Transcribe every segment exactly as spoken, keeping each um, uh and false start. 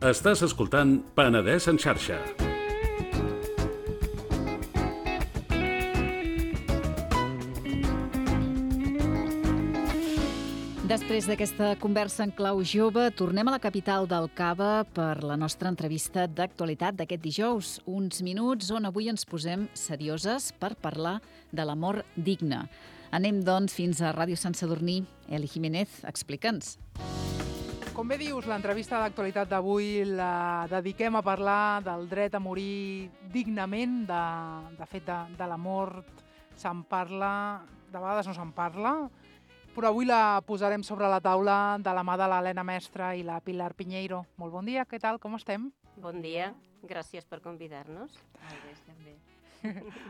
Estàs escoltant Penedès en xarxa. Després d'aquesta conversa en clau jove, tornem a la capital del Cava per la nostra entrevista d'actualitat d'aquest dijous. Uns minuts on avui ens posem serioses per parlar de l'amor digne. Anem, doncs, fins a Ràdio Sant Sadurní. Eli Jiménez, explica'ns. Com bé dius, l'entrevista d'actualitat d'avui la dediquem a parlar del dret a morir dignament. De, de fet, de, de la mort se'n parla, de vegades no se'n parla, però avui la posarem sobre la taula de la mà de l'Helena Mestre i la Pilar Piñeiro. Molt bon dia, què tal, com estem? Bon dia, gràcies per convidar-nos. Molt bé, estem bé.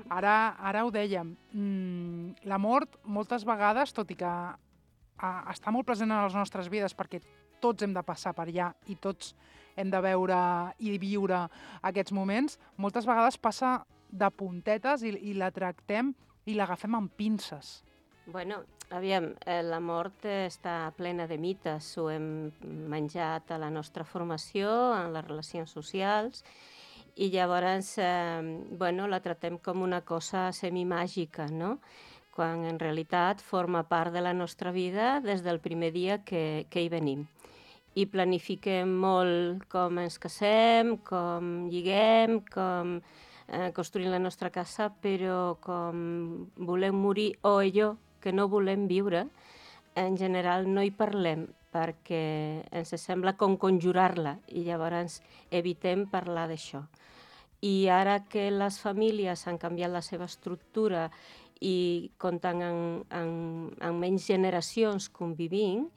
Ara, ara ho dèiem, mm, la mort moltes vegades, tot i que a, està molt present en les nostres vides perquè tots hem de passar per allà i tots hem de veure i viure aquests moments, moltes vegades passa de puntetes i, i la tractem i l'agafem amb pinces. Bueno, aviam, eh, la mort està plena de mites, ho hem menjat a la nostra formació, en les relacions socials, i llavors eh, bueno, la tratem com una cosa semimàgica, no? Quan en realitat forma part de la nostra vida des del primer dia que, que hi venim. I planifiquem molt com ens casem, com lliguem, com eh, construïm la nostra casa, però com volem morir o allò que no volem viure, en general no hi parlem perquè ens sembla com conjurar-la i llavors evitem parlar d'això. I ara que les famílies han canviat la seva estructura i compten en, en, en menys generacions convivint,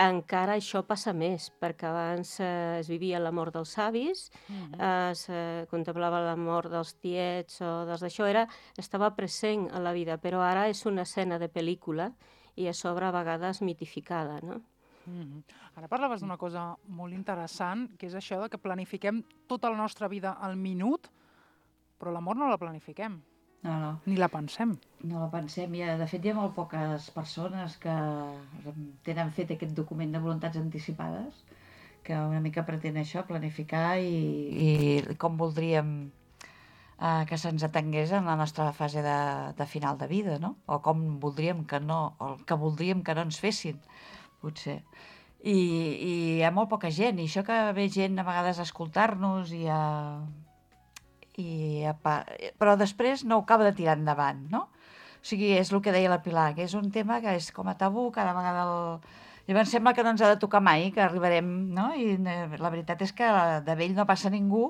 encara això passa més, perquè abans eh, es vivia la mort dels avis, mm-hmm. es eh, contemplava la mort dels tiets o dels d'això, era, estava present a la vida, però ara és una escena de pel·lícula i a sobre a vegades mitificada, no? Mm-hmm. Ara parlaves d'una cosa molt interessant, que és això de que planifiquem tota la nostra vida al minut, però la mort no la planifiquem. No, no. Ni la pensem. No la pensem. Ha, de fet, hi ha molt poques persones que tenen fet aquest document de voluntats anticipades, que una mica pretén això, planificar i, i com voldríem eh, que se'ns atengués en la nostra fase de, de final de vida, no? O com voldríem que no, o que voldríem que no ens fessin, potser. I, i hi ha molt poca gent, i això que ve gent a vegades a escoltar-nos i a... I, però després no ho acaba de tirar endavant, no? O sigui, és el que deia la Pilar, que és un tema que és com a tabú, cada vegada el... Llavors sembla que no ens ha de tocar mai, que arribarem, no? I la veritat és que de vell no passa ningú,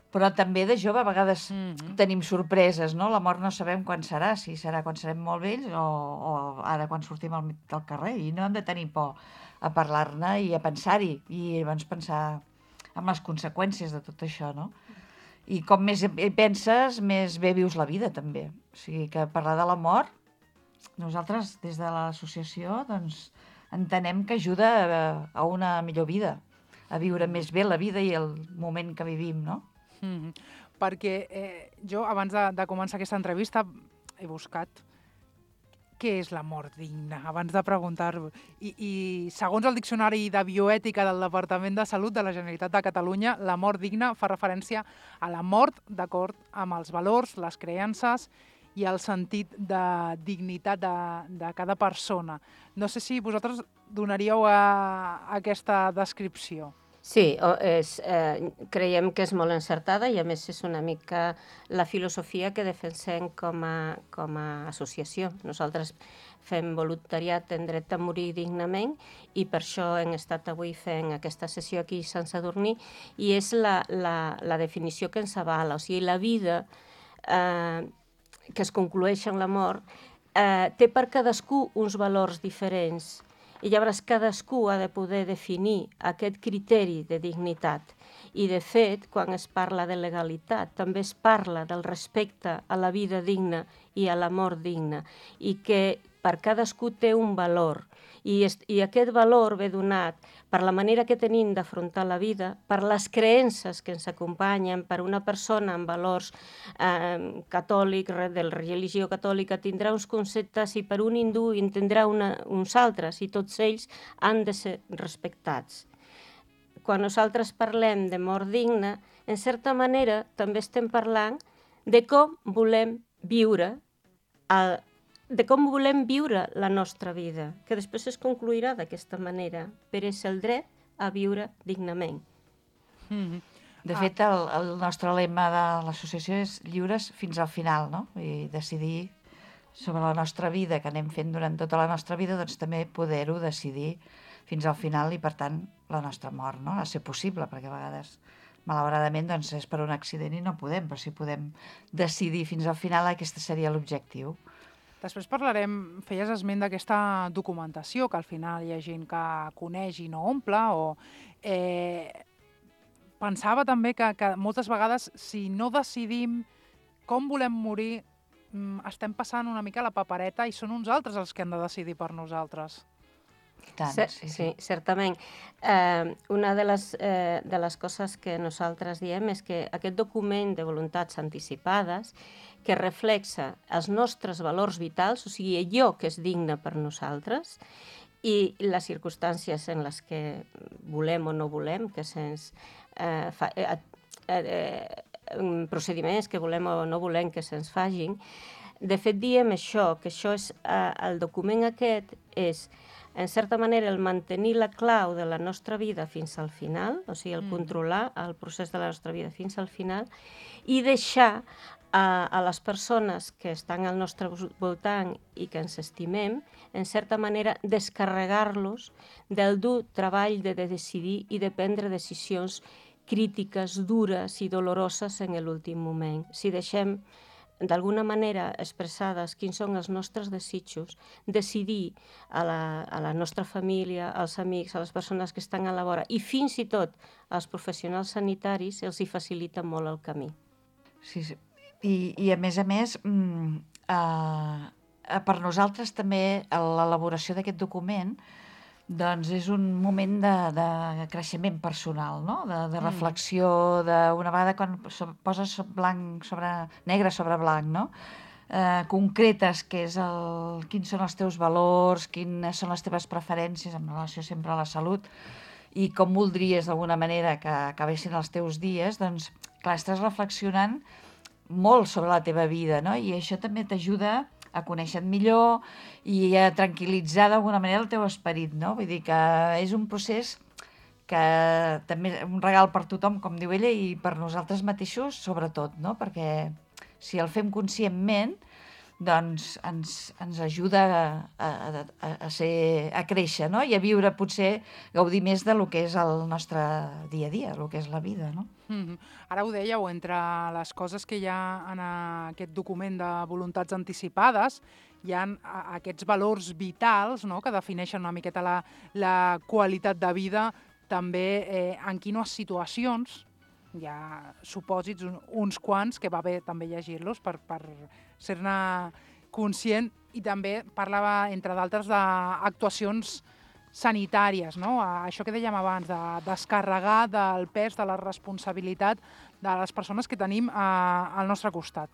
però també de jove a vegades mm-hmm. tenim sorpreses, no? La mort no sabem quan serà, si serà quan serem molt vells o, o ara quan sortim al, al carrer, i no hem de tenir por a parlar-ne i a pensar-hi, i llavors pensar en les conseqüències de tot això, no? I com més hi penses, més bé vius la vida, també. O sigui, que parlar de la mort, nosaltres, des de l'associació, doncs, entenem que ajuda a, a una millor vida, a viure més bé la vida i el moment que vivim, no? Mm-hmm. Perquè eh, jo, abans de, de començar aquesta entrevista, he buscat què és la mort digna, abans de preguntar-ho. I, I segons el Diccionari de Bioètica del Departament de Salut de la Generalitat de Catalunya, la mort digna fa referència a la mort d'acord amb els valors, les creences i el sentit de dignitat de, de cada persona. No sé si vosaltres donaríeu a, a aquesta descripció. Sí, és, eh, creiem que és molt encertada i a més és una mica la filosofia que defensem com a, com a associació. Nosaltres fem voluntariat en dret a morir dignament i per això hem estat avui fent aquesta sessió aquí a Sant Sadurní i és la, la, la definició que ens avala. O sigui, la vida eh, que es conclueix en la mort eh, té per cadascú uns valors diferents. I llavors cadascú ha de poder definir aquest criteri de dignitat. I de fet, quan es parla de legalitat, també es parla del respecte a la vida digna i a la mort digna. I que per cadascú té un valor, i, i aquest valor ve donat per la manera que tenim d'afrontar la vida, per les creences que ens acompanyen, per una persona amb valors eh, catòlics, de la religió catòlica, tindrà uns conceptes i per un hindú en tindrà una, uns altres, i tots ells han de ser respectats. Quan nosaltres parlem de mort digna, en certa manera també estem parlant de com volem viure el, de com volem viure la nostra vida, que després es concluirà d'aquesta manera, però és el dret a viure dignament. Mm-hmm. De fet, el, el nostre lema de l'associació és lliures fins al final, no? I decidir sobre la nostra vida, que anem fent durant tota la nostra vida, doncs també poder-ho decidir fins al final i, per tant, la nostra mort, no? Ha de ser possible, perquè a vegades, malauradament, doncs és per un accident i no podem, però si podem decidir fins al final, aquest seria l'objectiu. Després parlarem, feies esment d'aquesta documentació, que al final hi ha gent que coneix i no omple, o eh, pensava també que, que moltes vegades, si no decidim com volem morir, estem passant una mica la papereta i són uns altres els que han de decidir per nosaltres. Tant, sí, sí, sí. sí, certament. Eh, una de les, eh, de les coses que nosaltres diem és que aquest document de voluntats anticipades que reflexa els nostres valors vitals, o sigui, allò que és digne per nosaltres, i les circumstàncies en les que volem o no volem, que se'ns eh, fa, eh, eh, procediments que volem o no volem que se'ns fagin. De fet, diem això, que això és, eh, el document aquest és, en certa manera, el mantenir la clau de la nostra vida fins al final, o sigui, el mm. controlar el procés de la nostra vida fins al final, i deixar a, a les persones que estan al nostre voltant i que ens estimem, en certa manera, descarregar-los del dur treball de, de decidir i de prendre decisions crítiques, dures i doloroses en l'últim moment. Si deixem d'alguna manera expressades quins són els nostres desitjos, decidir a la, a la nostra família, als amics, a les persones que estan a la vora i fins i tot als professionals sanitaris els hi facilita molt el camí. Sí, sí. I, i a més a més, mm, eh, per nosaltres també l'elaboració d'aquest document doncs és un moment de, de creixement personal, no? de, de reflexió, d'una vegada quan poses blanc sobre, negre sobre blanc, no? eh, concretes què és el, quins són els teus valors, quines són les teves preferències en relació sempre a la salut i com voldries d'alguna manera que acabessin els teus dies, doncs clar, estàs reflexionant molt sobre la teva vida, no? I això també t'ajuda a conèixer-te millor i a tranquil·litzar d'alguna manera el teu esperit, no? Vull dir que és un procés que també és un regal per tothom, com diu ella, i per nosaltres mateixos, sobretot, no? Perquè si el fem conscientment, doncs ens, ens ajuda a, a, a, a, ser, a créixer, no? I a viure, potser, gaudir més de lo que és el nostre dia a dia, el que és la vida, no? Mm-hmm. Ara ho dèieu, entre les coses que hi ha en aquest document de voluntats anticipades, hi ha aquests valors vitals, no?, que defineixen una miqueta la, la qualitat de vida, també eh, en quines situacions, hi ha supòsits, uns quants, que va bé també llegir-los per, per ser-ne conscient, i també parlava, entre d'altres, d'actuacions sanitàries, no? Això que dèiem abans, de descarregar del pes, de la responsabilitat de les persones que tenim al nostre costat.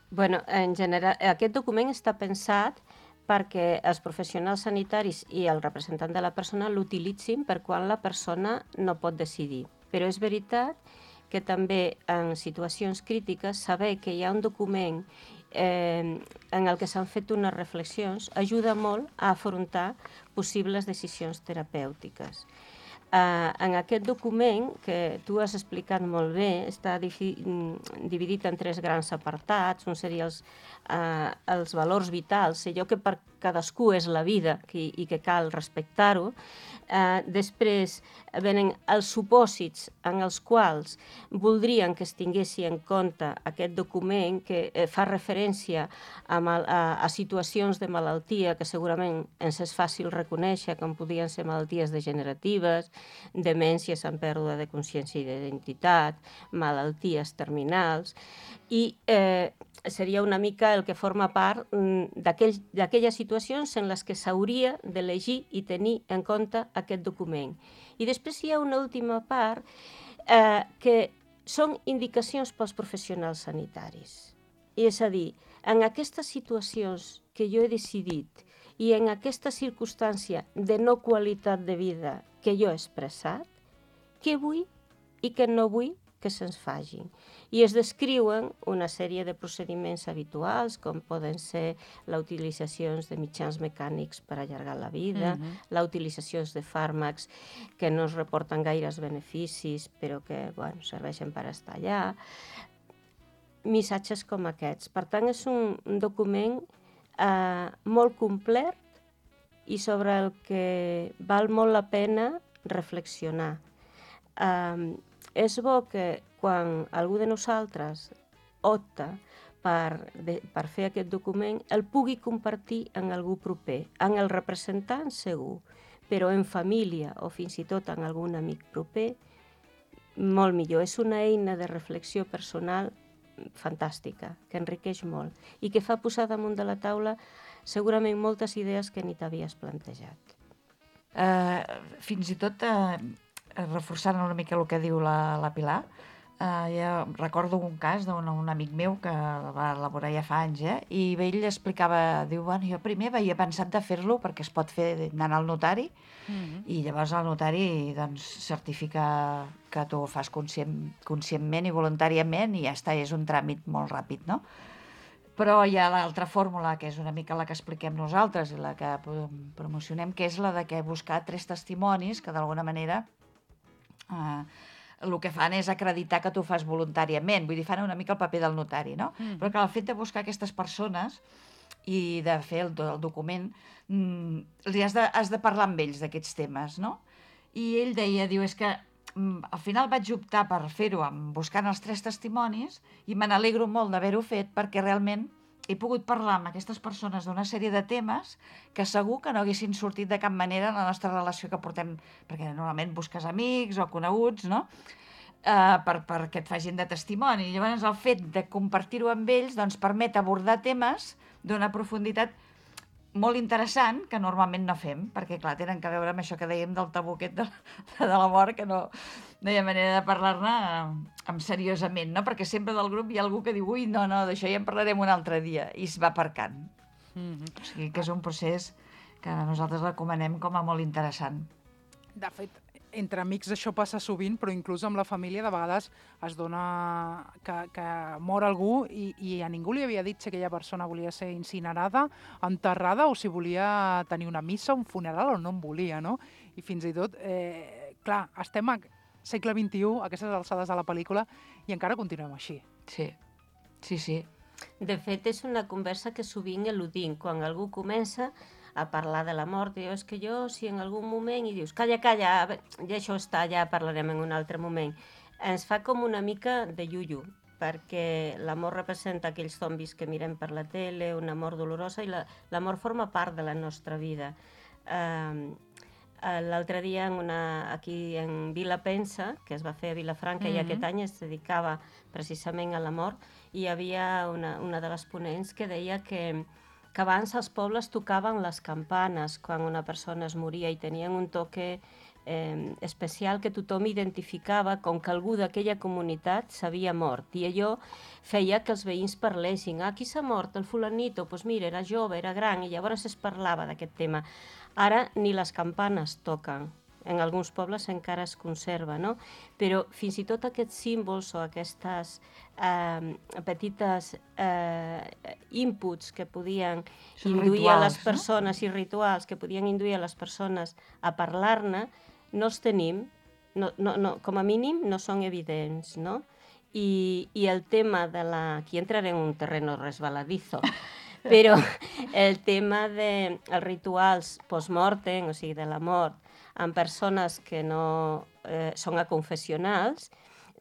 Bueno, en general, aquest document està pensat perquè els professionals sanitaris i el representant de la persona l'utilitzin per quan la persona no pot decidir. Però és veritat que també en situacions crítiques saber que hi ha un document eh, en el que s'han fet unes reflexions ajuda molt a afrontar possibles decisions terapèutiques. Uh, en aquest document, que tu has explicat molt bé, està dividit en tres grans apartats. Un seria els, uh, els valors vitals, allò que per cadascú és la vida i, i que cal respectar-ho. Uh, després venen els supòsits en els quals voldrien que es tinguessi en compte aquest document, que eh, fa referència a, mal, a, a situacions de malaltia que segurament ens és fàcil reconèixer, com podien ser malalties degeneratives, demències amb pèrdua de consciència i d'identitat, malalties terminals, i eh, seria una mica el que forma part d'aquelles situacions en les que s'hauria d'elegir i tenir en compte aquest document. I després hi ha una última part eh, que són indicacions pels professionals sanitaris. És a dir, en aquestes situacions que jo he decidit i en aquesta circumstància de no qualitat de vida que jo he expressat, què vull i què no vull que se'ns facin. I es descriuen una sèrie de procediments habituals, com poden ser la utilització de mitjans mecànics per allargar la vida, uh-huh. la utilització de fàrmacs que no es reporten gaires beneficis, però que bueno, serveixen per estar allà. Missatges com aquests. Per tant, és un, un document eh, molt complet i sobre el que val molt la pena reflexionar. Eh, és bo que quan algú de nosaltres opta per, de, per fer aquest document, el pugui compartir amb algú proper, amb el representant segur, però en família o fins i tot amb algun amic proper, molt millor. És una eina de reflexió personal fantàstica, que enriqueix molt i que fa posar damunt de la taula segurament moltes idees que ni t'havies plantejat. Uh, fins i tot, uh, reforçant una mica el que diu la, la Pilar, uh, ja recordo un cas d'un un amic meu que va elaborar ja fa anys, eh? I ell explicava, diu, bueno, jo primer havia pensat de fer-lo perquè es pot fer anant al notari, mm-hmm. i llavors el notari doncs, certifica que tu ho fas conscient, conscientment i voluntàriament i ja està, és un tràmit molt ràpid, no? Però hi ha l'altra fórmula, que és una mica la que expliquem nosaltres i la que promocionem, que és la de que buscar tres testimonis que d'alguna manera eh, el que fan és acreditar que tu ho fas voluntàriament, vull dir, fan una mica el paper del notari, no? Mm. Però que el fet de buscar aquestes persones i de fer el, el document, mm, has, de, has de parlar amb ells d'aquests temes, no? I ell deia, diu, és que mm, al final vaig optar per fer-ho buscant els tres testimonis i me n'alegro molt d'haver-ho fet perquè realment he pogut parlar amb aquestes persones d'una sèrie de temes que segur que no haguessin sortit de cap manera en la nostra relació que portem, perquè normalment busques amics o coneguts, no? Uh, per, perquè et facin de testimoni. I llavors el fet de compartir-ho amb ells doncs, permet abordar temes d'una profunditat molt interessant que normalment no fem, perquè clar, tenen que veure amb això que dèiem del tabú aquest de, de la mort, que no, no hi ha manera de parlar-ne amb seriosament, no? Perquè sempre del grup hi ha algú que diu, ui, no, no, d'això ja en parlarem un altre dia, i es va aparcant. Mm-hmm. O sigui que és un procés que nosaltres recomanem com a molt interessant. De fet, entre amics això passa sovint, però inclús amb la família de vegades es dona que, que mor algú i, i a ningú li havia dit si aquella persona volia ser incinerada, enterrada o si volia tenir una missa, un funeral o no en volia, no? I fins i tot, eh, clar, estem al segle vint-i-u, a aquestes alçades de la pel·lícula, i encara continuem així. Sí, sí, sí. De fet, és una conversa que sovint eludim. Quan algú comença a parlar de la mort, diu, és que jo, si en algun moment, i dius, calla, calla, ja això està, ja parlarem en un altre moment, ens fa com una mica de iuiu, perquè la mort representa aquells zombis que mirem per la tele, una mort dolorosa, i la, la mort forma part de la nostra vida. Uh, L'altre dia, en una, aquí en Vila Pensa, que es va fer a Vilafranca, mm-hmm. i aquest any es dedicava precisament a la mort, i hi havia una, una de les ponents que deia que que abans els pobles tocaven les campanes quan una persona es moria i tenien un toque eh, especial que tothom identificava com que algú d'aquella comunitat s'havia mort. I allò feia que els veïns parlessin. Ah, qui s'ha mort? El fulanito? Doncs pues mira, era jove, era gran, i llavors es parlava d'aquest tema. Ara ni les campanes toquen. En alguns pobles encara es conserva, no? Però fins i tot aquests símbols o aquestes eh, petites eh, inputs que podien Són induir rituals, a les persones, no? I rituals que podien induir a les persones a parlar-ne, no els tenim, no, no, no, com a mínim no són evidents, no? I, i el tema de la... Aquí entraré en un terreno resbaladizo, però el tema dels de rituals post-mortem, o sigui, de la mort, amb persones que no eh, són aconfessionals,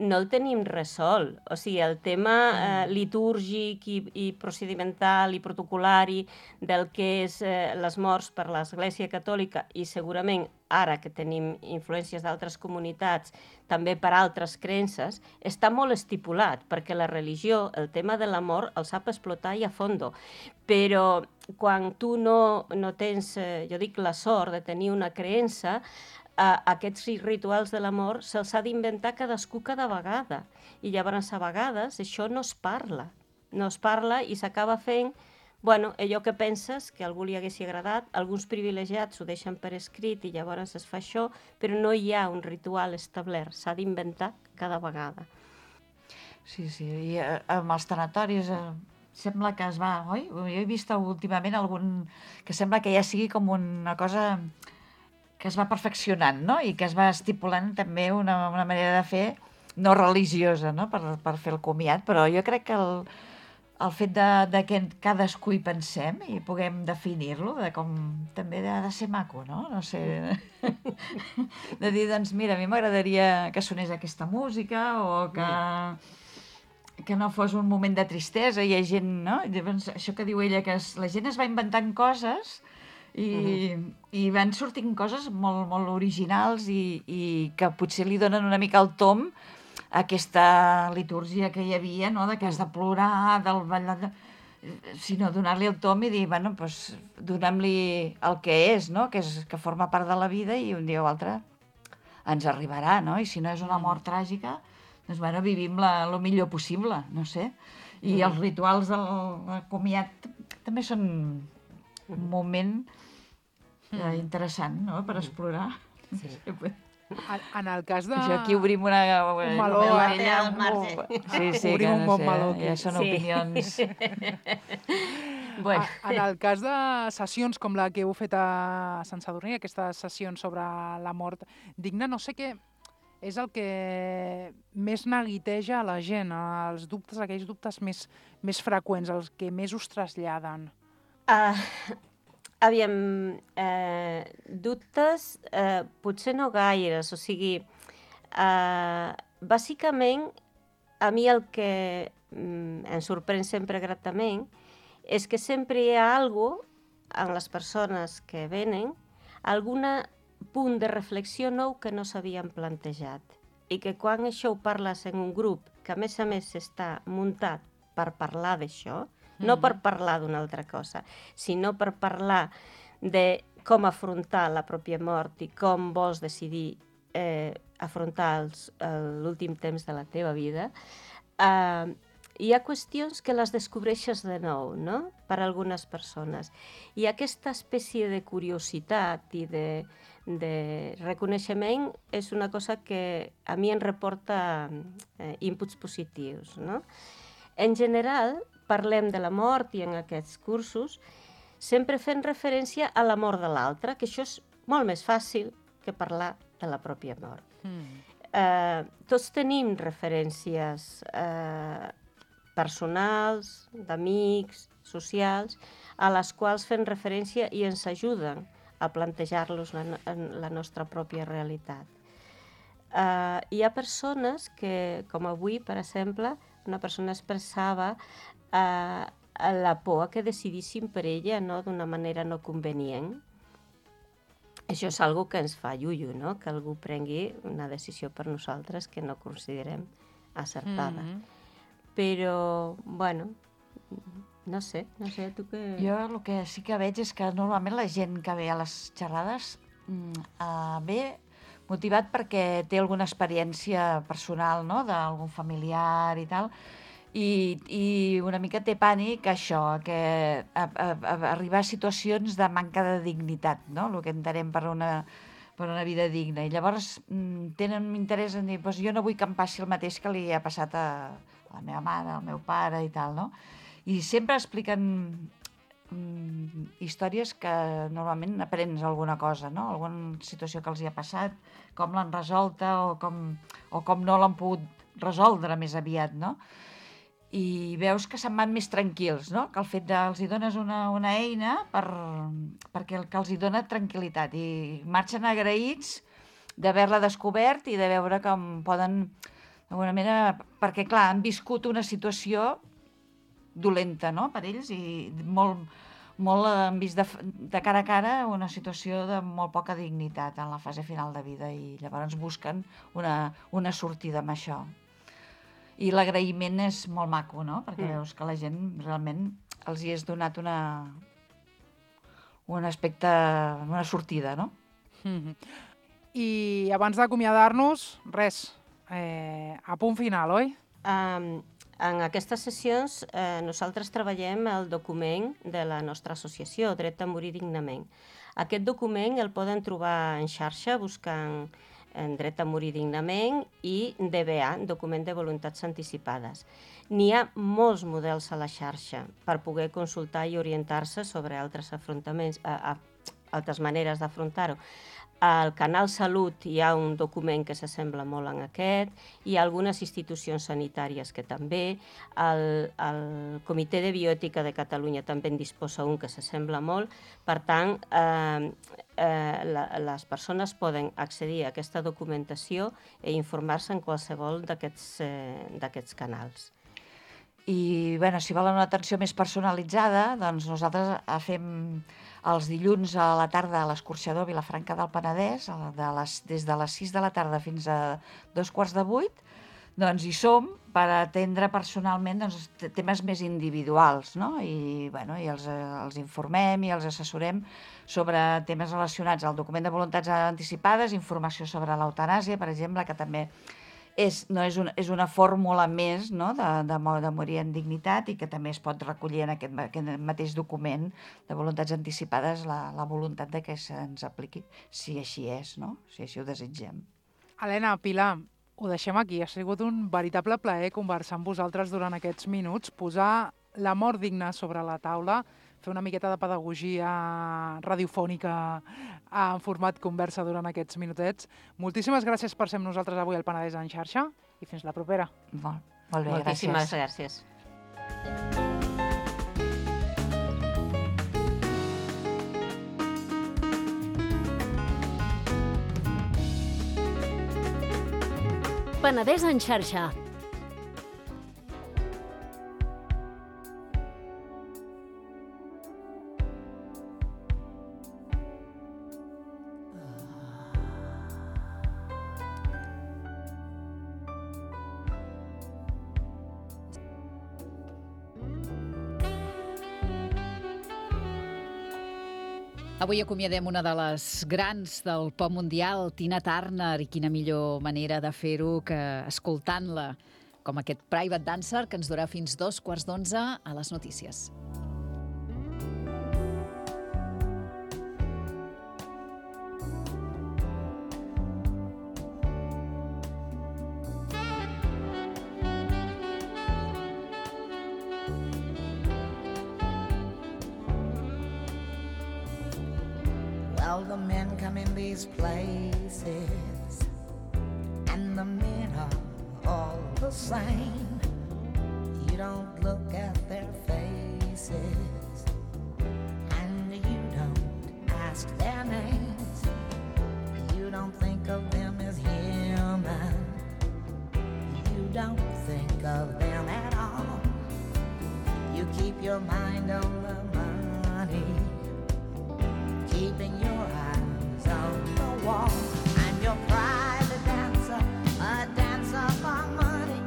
no el tenim resolt. O sigui, el tema eh, litúrgic i, i procedimental i protocolari del que és eh, les morts per l'Església Catòlica i segurament ara que tenim influències d'altres comunitats, també per altres creences, està molt estipulat, perquè la religió, el tema de la mort, el sap explotar i a fondo. Però quan tu no, no tens, eh, jo dic, la sort de tenir una creença, a aquests rituals de la mort se'ls ha d'inventar cadascú cada vegada. I llavors, a vegades, això no es parla. No es parla i s'acaba fent, bueno, allò que penses que a algú li haguessi agradat, alguns privilegiats ho deixen per escrit i llavors es fa això, però no hi ha un ritual establert, s'ha d'inventar cada vegada. Sí, sí, i eh, amb els tanatoris eh, sembla que es va, oi? Jo he vist últimament algun que sembla que ja sigui com una cosa que es va perfeccionant, no? I que es va estipulant també una, una manera de fer no religiosa, no? Per, per fer el comiat, però jo crec que el, el fet de, de que cadascú hi pensem i puguem definir-lo, de com també ha de ser maco, no? No sé, de dir, doncs mira, a mi m'agradaria que sonés aquesta música o que, que no fos un moment de tristesa, hi ha gent, no? Llavors, això que diu ella, que es, la gent es va inventant coses i, uh-huh. i van sortint coses molt, molt originals i, i que potser li donen una mica el tom a aquesta litúrgia que hi havia, no? De que has de plorar, del ballar, de... sinó donar-li el tom i dir, bueno, doncs donem-li el que és, no? Que, és, que forma part de la vida i un dia o altre ens arribarà, no? I si no és una mort tràgica, doncs bueno, vivim la, el millor possible, no sé. I els rituals del comiat també són un moment eh, interessant, no?, per explorar. Sí. En, en el cas de... Això aquí obrim una... Un meló. Al marge. Sí, sí, obrim que un no bon sé, meló. Ja són Sí. opinions. Bueno. En el cas de sessions com la que heu fet a Sant Sadurní, aquestes sessions sobre la mort digna, no sé què és el que més neguiteja a la gent, els dubtes, aquells dubtes més, més freqüents, els que més us traslladen. Uh, aviam, eh, dubtes, eh, potser no gaires, o sigui, eh, bàsicament, a mi el que mm, em sorprèn sempre gratament és que sempre hi ha algo en les persones que venen, alguna punt de reflexió nou que no s'havien plantejat i que quan això ho parles en un grup que a més a més està muntat per parlar d'això, mm-hmm. no per parlar d'una altra cosa, sinó per parlar de com afrontar la pròpia mort i com vols decidir eh, afrontar els, l'últim temps de la teva vida, eh, hi ha qüestions que les descobreixes de nou, no?, per a algunes persones. I aquesta espècie de curiositat i de, de reconeixement és una cosa que a mi em reporta eh, inputs positius, no? En general, parlem de la mort i en aquests cursos sempre fent referència a la mort de l'altre, que això és molt més fàcil que parlar de la pròpia mort. Mm. Eh, tots tenim referències eh, personals, d'amics, socials, a les quals fem referència i ens ajuden a plantejar-los la, la nostra pròpia realitat. Uh, hi ha persones que, com avui, per exemple, una persona expressava uh, la por a que decidíssim per ella, no?, d'una manera no convenient. Això és algo que ens fa llullo, no?, que algú prengui una decisió per nosaltres que no considerem acertada. Mm-hmm. Però, bueno, no sé, no sé, tu què... Jo el que sí que veig és que normalment la gent que ve a les xerrades uh, ve motivat perquè té alguna experiència personal, no?, d'algun familiar i tal, i, i una mica té pànic això, que a, a, a arribar a situacions de manca de dignitat, no?, el que entenem per una, per una vida digna. I llavors mm, tenen interès en dir, doncs jo no vull que em passi el mateix que li ha passat a la meva mare, al meu pare i tal, no? I sempre expliquen mm, històries que normalment aprens alguna cosa, no? Alguna situació que els hi ha passat, com l'han resolta o com, o com no l'han pogut resoldre més aviat, no? I veus que se'n van més tranquils, no? Que el fet de els hi dones una, una eina per, perquè el que els hi dona tranquil·litat i marxen agraïts d'haver-la descobert i de veure com poden D'alguna manera, perquè, clar, han viscut una situació dolenta, no?, per ells, i molt, molt han vist de, de cara a cara una situació de molt poca dignitat en la fase final de vida, i llavors busquen una, una sortida amb això. I l'agraïment és molt maco, no?, perquè mm. veus que la gent realment els hi has donat una, un aspecte, una sortida, no? Mm-hmm. I abans d'acomiadar-nos, res, eh, a punt final, oi? Um, en aquestes sessions eh, nosaltres treballem el document de la nostra associació, Dret a morir dignament. Aquest document el poden trobar en xarxa buscant en Dret a morir dignament i D B A, Document de Voluntats Anticipades. N'hi ha molts models a la xarxa per poder consultar i orientar-se sobre altres afrontaments, a, a, altres maneres d'afrontar-ho. Al Canal Salut hi ha un document que s'assembla molt en aquest, hi ha algunes institucions sanitàries que també, el, el Comitè de Bioètica de Catalunya també en disposa un que s'assembla molt, per tant, eh, eh, la, les persones poden accedir a aquesta documentació i informar-se en qualsevol d'aquests eh, d'aquests canals. I, bueno, si volen una atenció més personalitzada, doncs nosaltres fem els dilluns a la tarda a l'Escorxador Vilafranca del Penedès, de les, des de les sis de la tarda fins a dos quarts de vuit, doncs hi som per atendre personalment doncs, temes més individuals, no? I, bueno, i els, els informem i els assessorem sobre temes relacionats al document de voluntats anticipades, informació sobre l'eutanàsia, per exemple, que també És, no, és, una, és una fórmula més, no?, de, de, de morir en dignitat, i que també es pot recollir en aquest, aquest mateix document de voluntats anticipades la, la voluntat de que se'ns apliqui, si així és, no?, si així ho desitgem. Helena, Pilar, ho deixem aquí. Ha sigut un veritable plaer conversar amb vosaltres durant aquests minuts, posar la mort digna sobre la taula, fer una miqueta de pedagogia radiofònica en format conversa durant aquests minutets. Moltíssimes gràcies per ser amb nosaltres avui al Penedès en xarxa i fins la propera. Molt, molt bé, Moltíssimes gràcies. gràcies. Penedès en xarxa. Avui acomiadem una de les grans del pop mundial, Tina Turner, i quina millor manera de fer-ho que escoltant-la, com aquest Private Dancer que ens durà fins dos quarts d'onze a les notícies. Well, the men come in these places, and the men are all the same. You don't look at their faces, and you don't ask their names. You don't think of them as human. You don't think of them at all. You keep your mind on the money, keeping your eyes on the wall. I'm your private dancer, a dancer for money.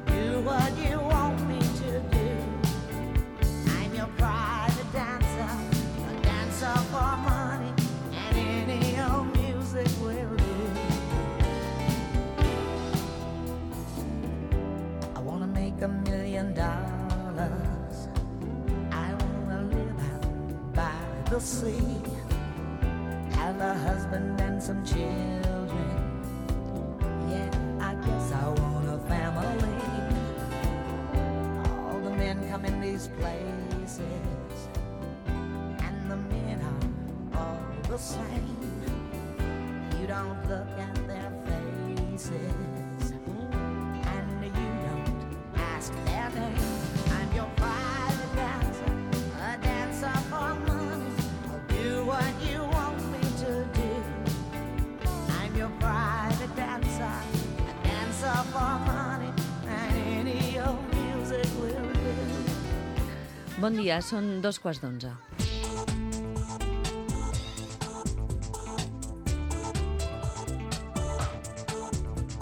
Do what you want me to do. I'm your private dancer, a dancer for money, and any old music will do. I wanna make a million dollars. I wanna live out by the sea, have a husband and some children. Yeah, I guess I want a family. All the men come in these places, and the men are all the same. You don't look at their faces, and you don't ask their name. I'm your private dancer, a dancer for money. I'll do what you want me to do. I'm your private dancer, a dancer for money. Bon dia, són dos quarts d'onze.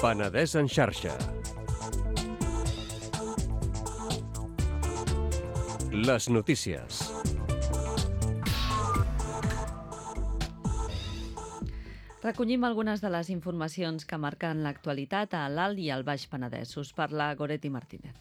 Penedès en xarxa. Les notícies. Recollim algunes de les informacions que marquen l'actualitat a l'Alt i al Baix Penedès. Us parla Goretti Martínez.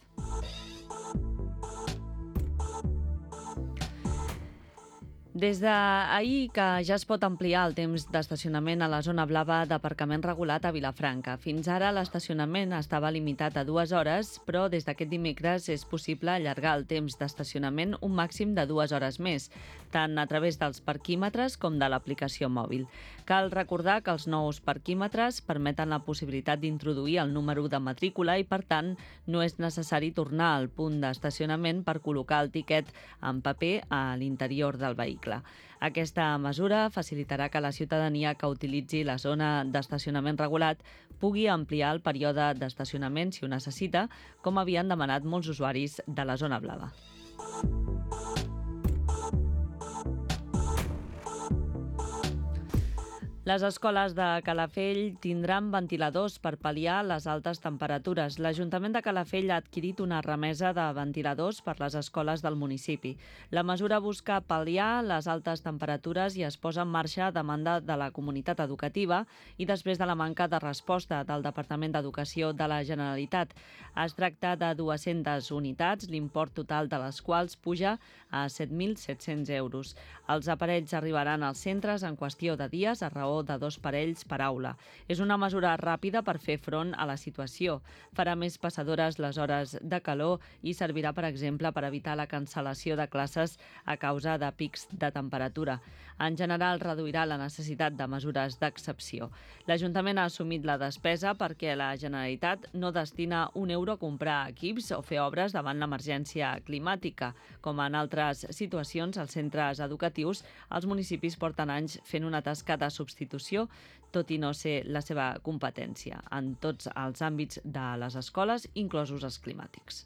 Des d'ahir que ja es pot ampliar el temps d'estacionament a la zona blava d'aparcament regulat a Vilafranca. Fins ara l'estacionament estava limitat a dues hores, però des d'aquest dimecres és possible allargar el temps d'estacionament un màxim de dues hores més, tant a través dels parquímetres com de l'aplicació mòbil. Cal recordar que els nous parquímetres permeten la possibilitat d'introduir el número de matrícula i, per tant, no és necessari tornar al punt d'estacionament per col·locar el tiquet en paper a l'interior del vehicle. Aquesta mesura facilitarà que la ciutadania que utilitzi la zona d'estacionament regulat pugui ampliar el període d'estacionament si ho necessita, com havien demanat molts usuaris de la zona blava. Les escoles de Calafell tindran ventiladors per pal·liar les altes temperatures. L'Ajuntament de Calafell ha adquirit una remesa de ventiladors per les escoles del municipi. La mesura busca pal·liar les altes temperatures i es posa en marxa a demanda de la comunitat educativa i després de la manca de resposta del Departament d'Educació de la Generalitat. Es tracta de dues-centes unitats, l'import total de les quals puja a set mil set-cents euros. Els aparells arribaran als centres en qüestió de dies a raó de dos parells per aula. És una mesura ràpida per fer front a la situació. Farà més passadores les hores de calor i servirà, per exemple, per evitar la cancel·lació de classes a causa de pics de temperatura. En general, reduirà la necessitat de mesures d'excepció. L'Ajuntament ha assumit la despesa perquè la Generalitat no destina un euro a comprar equips o fer obres davant l'emergència climàtica. Com en altres situacions, als centres educatius, els municipis porten anys fent una tasca de substitució, tot i no ser la seva competència, en tots els àmbits de les escoles, inclosos els climàtics.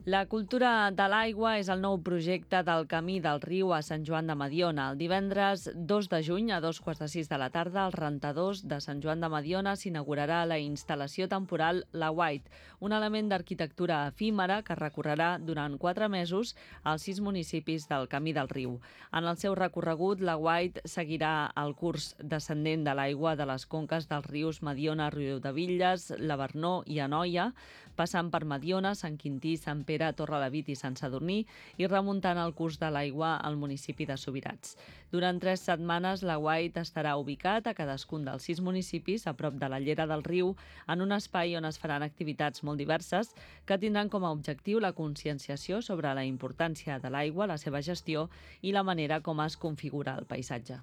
La cultura de l'aigua és el nou projecte del Camí del Riu a Sant Joan de Mediona. El divendres dos de juny, a dos quarts de sis de la tarda, als rentadors de Sant Joan de Mediona s'inaugurarà la instal·lació temporal La White, un element d'arquitectura efímera que recorrerà durant quatre mesos als sis municipis del Camí del Riu. En el seu recorregut, La White seguirà el curs descendent de l'aigua de les conques dels rius Mediona, Riudebitlles, Lavernó i Anoia, passant per Mediona, Sant Quintí, Sant Pere, Torrelavit i Sant Sadurní i remuntant el curs de l'aigua al municipi de Subirats. Durant tres setmanes, la White estarà ubicat a cadascun dels sis municipis a prop de la llera del riu, en un espai on es faran activitats molt diverses que tindran com a objectiu la conscienciació sobre la importància de l'aigua, la seva gestió i la manera com es configura el paisatge.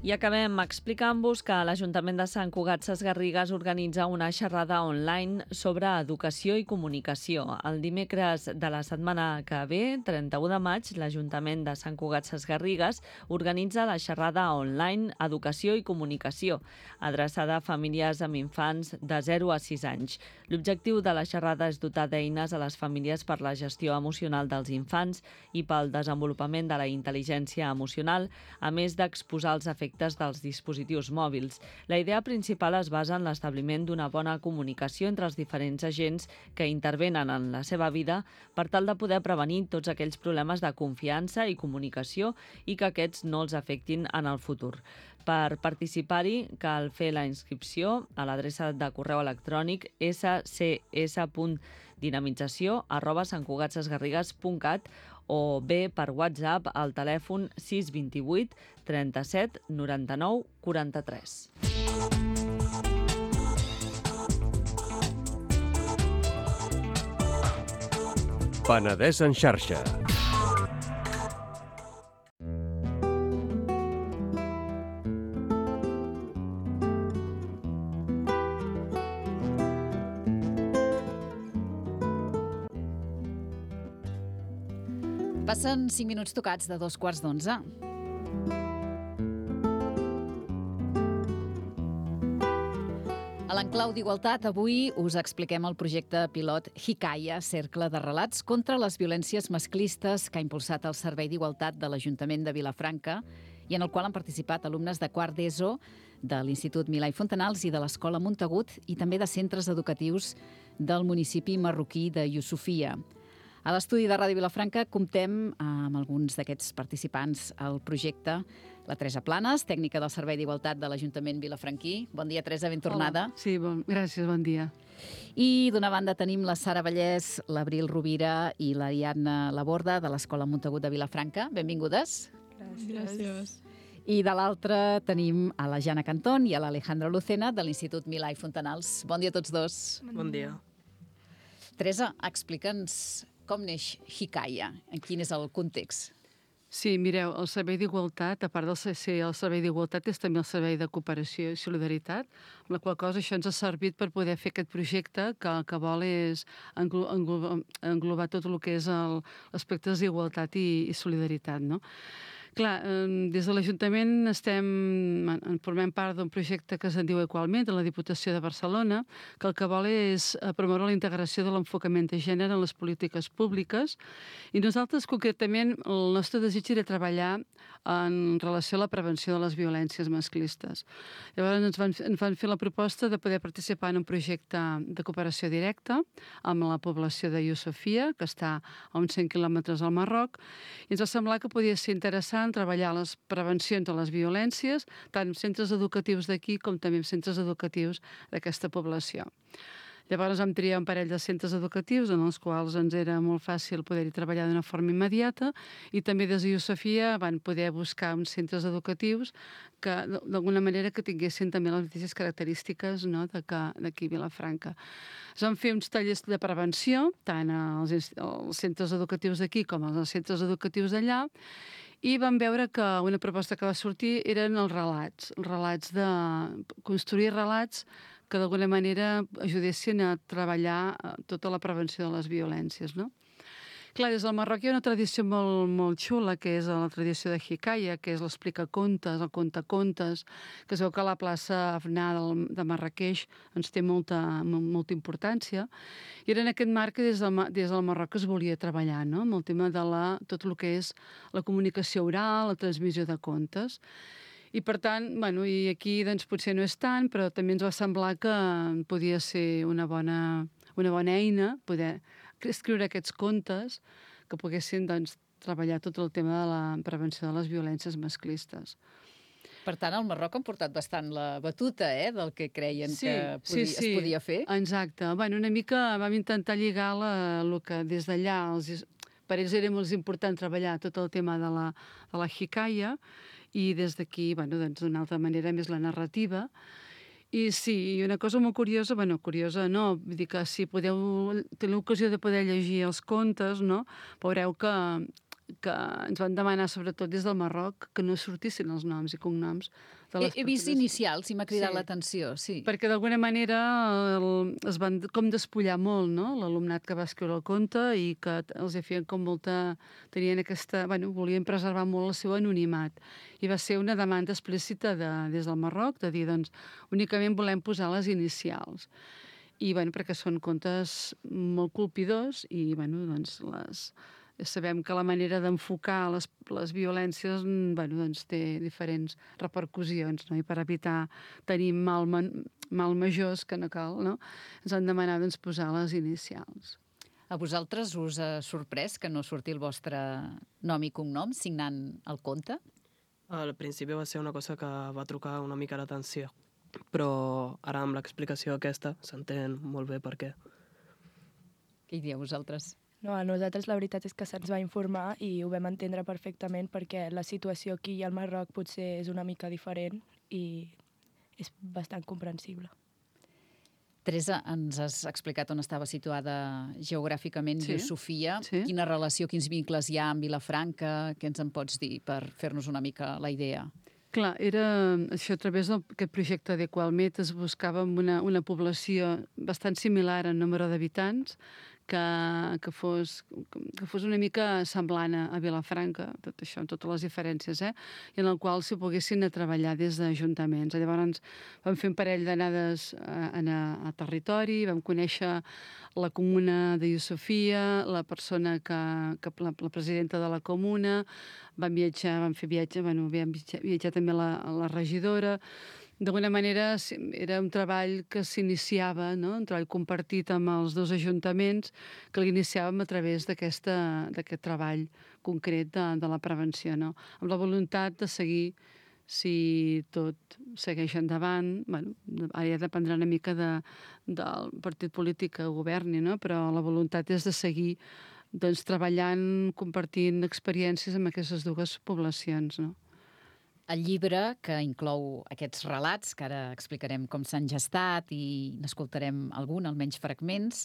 I acabem explicant-vos que l'Ajuntament de Sant Cugat Sesgarrigues organitza una xerrada online sobre educació i comunicació. El dimecres de la setmana que ve, trenta-u de maig, l'Ajuntament de Sant Cugat Sesgarrigues organitza la xerrada online Educació i Comunicació, adreçada a famílies amb infants de zero a sis anys. L'objectiu de la xerrada és dotar d'eines a les famílies per la gestió emocional dels infants i pel desenvolupament de la intel·ligència emocional, a més d'exposar els efectes dels dispositius mòbils. La idea principal es basa en l'establiment d'una bona comunicació entre els diferents agents que intervenen en la seva vida per tal de poder prevenir tots aquells problemes de confiança i comunicació i que aquests no els afectin en el futur. Per participar-hi cal fer la inscripció a l'adreça de correu electrònic s c s punt dinamització arroba santcugatsesgarrigues punt cat o bé per WhatsApp al telèfon sis dos vuit trenta-set noranta-nou quaranta-tres. Penedès en xarxa. Passen cinc minuts tocats de dos quarts d'onze. l'enclau d'Igualtat, avui us expliquem el projecte pilot Hikaya, cercle de relats contra les violències masclistes que ha impulsat el Servei d'Igualtat de l'Ajuntament de Vilafranca i en el qual han participat alumnes de quart d'ESO, de l'Institut Milà i Fontanals i de l'Escola Montagut i també de centres educatius del municipi marroquí de Yusufia. A l'estudi de Ràdio Vilafranca comptem amb alguns d'aquests participants al projecte. La Teresa Planes, tècnica del Servei d'Igualtat de l'Ajuntament vilafranquí. Bon dia, Teresa, ben tornada. Hola. Sí, bon, gràcies, bon dia. I d'una banda tenim la Sara Vallès, l'Abril Rovira i l'Ariadna Laborda de l'Escola Montagut de Vilafranca. Benvingudes. Gràcies. Gràcies. I de l'altra tenim a la Jana Cantón i a l'Alejandra Lucena de l'Institut Milà i Fontanals. Bon dia a tots dos. Bon dia. Teresa, explica'ns com neix Hikaya, quin és el context. Sí, mireu, el Servei d'Igualtat, a part del ser el Servei d'Igualtat, és també el Servei de Cooperació i Solidaritat, amb la qual cosa això ens ha servit per poder fer aquest projecte que el que vol és englobar, englobar, englobar tot el que és l'aspecte d'igualtat i, i solidaritat, no? Clar, des de l'Ajuntament estem, en formem part d'un projecte que se'n diu Equalment, de la Diputació de Barcelona, que el que vol és promoure la integració de l'enfocament de gènere en les polítiques públiques, i nosaltres, concretament, el nostre desig era treballar en relació a la prevenció de les violències masclistes. Llavors ens van, ens van fer la proposta de poder participar en un projecte de cooperació directa amb la població de Yusufia, que està a uns cent quilòmetres al Marroc, i ens va semblar que podia ser interessant treballar les prevencions de les violències, tant en centres educatius d'aquí com també en centres educatius d'aquesta població. Llavors vam triar un parell de centres educatius en els quals ens era molt fàcil poder-hi treballar d'una forma immediata i també des de Yusufia van poder buscar uns centres educatius que d'alguna manera que tinguessin també les mateixes característiques, no, d'aquí a Vilafranca. Es van fer uns tallers de prevenció tant als, als centres educatius d'aquí com als centres educatius d'allà i vam veure que una proposta que va sortir eren els relats, els relats de construir relats que d'alguna manera ajudessin a treballar tota la prevenció de les violències, no? Clar, des del Marroc hi ha una tradició molt, molt xula, que és la tradició de Hikaya, que és l'explicacontes, el contacontes, que es veu que la plaça Afná de Marrakeix ens té molta, molta importància. I era en aquest marc que des del, des del Marroc es volia treballar, no?, amb el tema de la, tot el que és la comunicació oral, la transmissió de contes. I per tant, bueno, i aquí doncs, potser no és tant, però també ens va semblar que podia ser una bona, una bona eina poder escriure aquests contes que poguessin doncs, treballar tot el tema de la prevenció de les violències masclistes. Per tant, al Marroc han portat bastant la batuta, eh, del que creien sí, que podia, sí, sí. es podia fer. Exacte. Bueno, una mica vam intentar lligar la, el que des d'allà, els, per ells era molt important treballar tot el tema de la, de la Hikaya i des d'aquí, bueno, doncs, d'una altra manera més la narrativa. I sí, una cosa molt curiosa, bueno, curiosa no, vull dir que si podeu tenir l'ocasió de poder llegir els contes, no, veureu que, que ens van demanar, sobretot des del Marroc, que no sortissin els noms i cognoms de les He, he vist persones. inicials i m'ha cridat Sí. l'atenció, sí. Perquè d'alguna manera el, es van com despullar molt, no?, l'alumnat que va escriure el conte i que els feien com molta... tenien aquesta... bueno, volien preservar molt el seu anonimat. I va ser una demanda explícita de, des del Marroc, de dir, doncs, únicament volem posar les inicials. I, bueno, perquè són contes molt colpidors i, bueno, doncs, les... sabem que la manera d'enfocar les, les violències bueno, doncs té diferents repercussions, no? I per evitar tenir mal, mal majors que no cal, no? Ens han demanat doncs, posar les inicials. A vosaltres us ha sorprès que no surti el vostre nom i cognom signant el conte? Al principi va ser una cosa que va trucar una mica l'atenció, però ara amb l'explicació aquesta s'entén molt bé per què. Què hi dieu vosaltres? No, a nosaltres la veritat és que se'ns va informar i ho vam entendre perfectament perquè la situació aquí al Marroc potser és una mica diferent i és bastant comprensible. Teresa, ens has explicat on estava situada geogràficament Sí. Yusufia. Sí. Quina relació, quins vincles hi ha amb Vilafranca? Què ens en pots dir per fer-nos una mica la idea? Clar, era això a través d'aquest projecte d'Equalmet es buscava una, una població bastant similar en número d'habitants que, que, fos, que fos una mica semblant a Vilafranca, tot això, amb totes les diferències, eh? I en el qual s'hi poguessin a treballar des d'ajuntaments. Llavors vam fer un parell d'anades a, a, a territori, vam conèixer la comuna de Iosofia, la persona que, que la, la presidenta de la comuna, vam viatjar, vam fer viatge, bueno, vam viatjar, viatjar també la, la regidora. D'alguna manera era un treball que s'iniciava, no? Un treball compartit amb els dos ajuntaments que l'iniciàvem a través d'aquest treball concret de, de la prevenció, no? Amb la voluntat de seguir, si tot segueix endavant, bueno, ara ja dependrà una mica de, del partit polític que governi, no? Però la voluntat és de seguir doncs, treballant, compartint experiències amb aquestes dues poblacions, no? El llibre, que inclou aquests relats, que ara explicarem com s'han gestat i n'escoltarem algun, almenys fragments,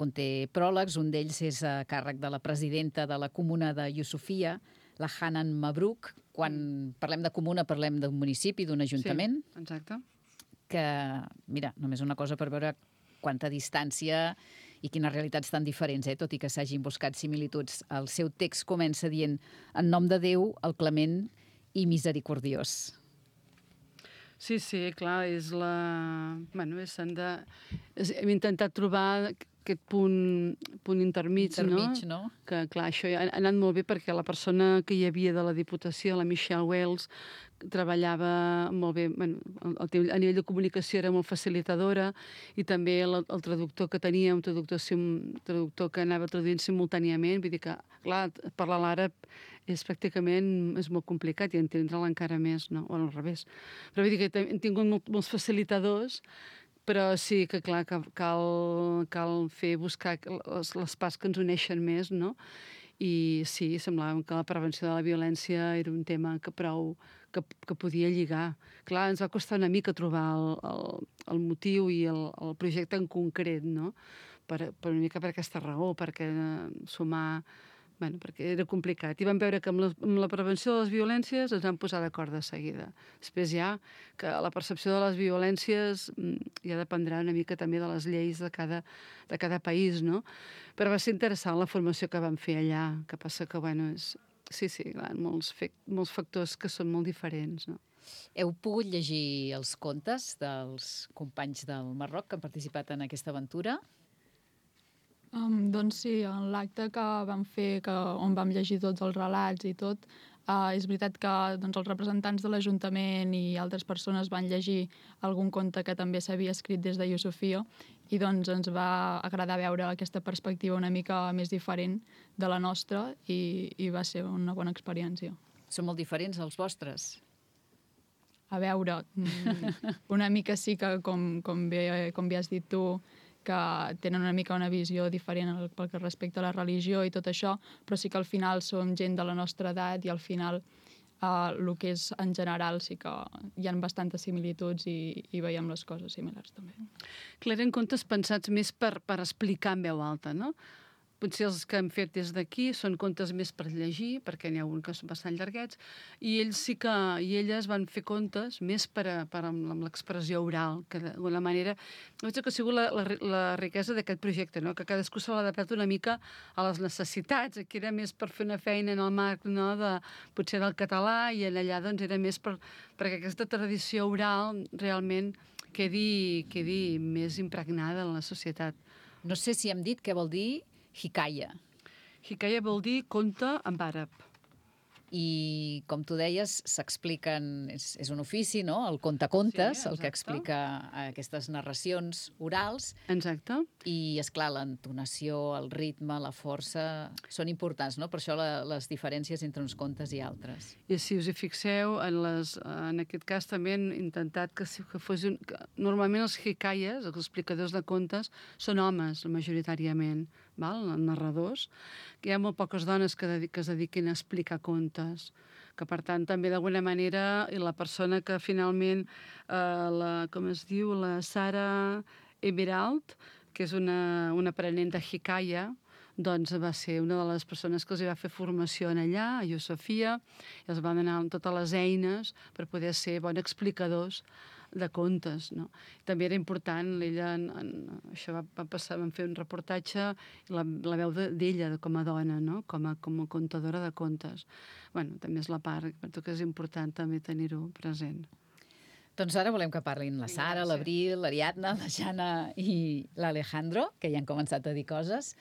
conté pròlegs, un d'ells és a càrrec de la presidenta de la comuna de Iosofia, la Hanan Mabruk. Quan parlem de comuna parlem d'un municipi, d'un ajuntament. Sí, exacte. Que, mira, només una cosa per veure quanta distància i quines realitats tan diferents, eh? Tot i que s'hagin buscat similituds. El seu text comença dient: en nom de Déu, el clement i misericordiós. Sí, sí, clar, és la... Bueno, és, de... hem intentat trobar aquest punt, punt intermig, intermig no? no? Que, clar, això ha anat molt bé perquè la persona que hi havia de la Diputació, la Michelle Wells, treballava molt bé, bueno, a nivell de comunicació era molt facilitadora, i també el, el traductor que tenia, un traductor, un traductor que anava traduint simultàniament, vull dir que, clar, parlar l'àrab és pràcticament és molt complicat i entendre-la encara més, no? O al revés. Però vull dir que hem tingut molt, molts facilitadors, però sí que, clar, que cal, cal fer, buscar les, les parts que ens uneixen més, no? I sí, semblava que la prevenció de la violència era un tema que prou que, que podia lligar. Clar, ens va costar una mica trobar el, el, el motiu i el, el projecte en concret, no? Per, per una mica per aquesta raó, perquè sumar... Bueno, perquè era complicat. I vam veure que amb la, amb la prevenció de les violències ens vam posar d'acord de seguida. Després ja que la percepció de les violències ja dependrà una mica també de les lleis de cada, de cada país, no? Però va ser interessant la formació que vam fer allà, que passa que, bueno, és... Sí, sí, clar, molts, fe... molts factors que són molt diferents, no? Heu pogut llegir els contes dels companys del Marroc que han participat en aquesta aventura? Um, doncs sí, en l'acte que vam fer, que, on vam llegir tots els relats i tot, uh, és veritat que doncs, els representants de l'Ajuntament i altres persones van llegir algun conte que també s'havia escrit des de Iosofia i doncs ens va agradar veure aquesta perspectiva una mica més diferent de la nostra i, i va ser una bona experiència. Són molt diferents els vostres? A veure, una mica sí que, com, com, bé, com bé has dit tu, que tenen una mica una visió diferent pel que respecta a la religió i tot això, però sí que al final som gent de la nostra edat i al final eh, el que és en general sí que hi ha bastantes similituds i, i veiem les coses similars també. Clar, eren contes pensats més per, per explicar en veu alta, no? Potser els que hem fet des d'aquí són contes més per llegir, perquè n'hi ha un que són bastant llarguets, i ells sí que, i elles van fer contes més per, a, per amb, amb l'expressió oral, que d'alguna manera... Veig que ha sigut la, la, la riquesa d'aquest projecte, no? Que cadascú se l'ha adaptat una mica a les necessitats. Aquí era més per fer una feina en el marc, no? De, potser del català, i en allà doncs, era més per, perquè aquesta tradició oral realment quedi, quedi més impregnada en la societat. No sé si hem dit què vol dir Hikaya. Hikaya vol dir conte en àrab. I, com tu deies, s'expliquen... És, és un ofici, no?, el contacontes, sí, el que explica aquestes narracions orals. Exacte. I, esclar, l'entonació, el ritme, la força... són importants, no?, per això la, les diferències entre uns contes i altres. I si us hi fixeu, en, les, en aquest cas també han intentat que, que fos un... Que normalment els hikayes, els explicadors de contes, són homes, majoritàriament, val? Narradors, que hi ha molt poques dones que, dedic, que es dediquin a explicar contes, que per tant també d'alguna manera i la persona que finalment, eh, la, com es diu, la Sara Emerald, que és una, una aprenent de Hikaya, doncs va ser una de les persones que els va fer formació en allà, a Iosofia, i els van donar totes les eines per poder ser bons explicadors de contes, no? També era important, ella, en, en, això va, va passar, vam fer un reportatge, la, la veu d'ella com a dona, no? Com a, com a contadora de contes. Bueno, també és la part, per tu que és important també tenir-ho present. Doncs ara volem que parlin la Sara, l'Abril, l'Ariadna, la Jana i l'Alejandro, que ja han començat a dir coses.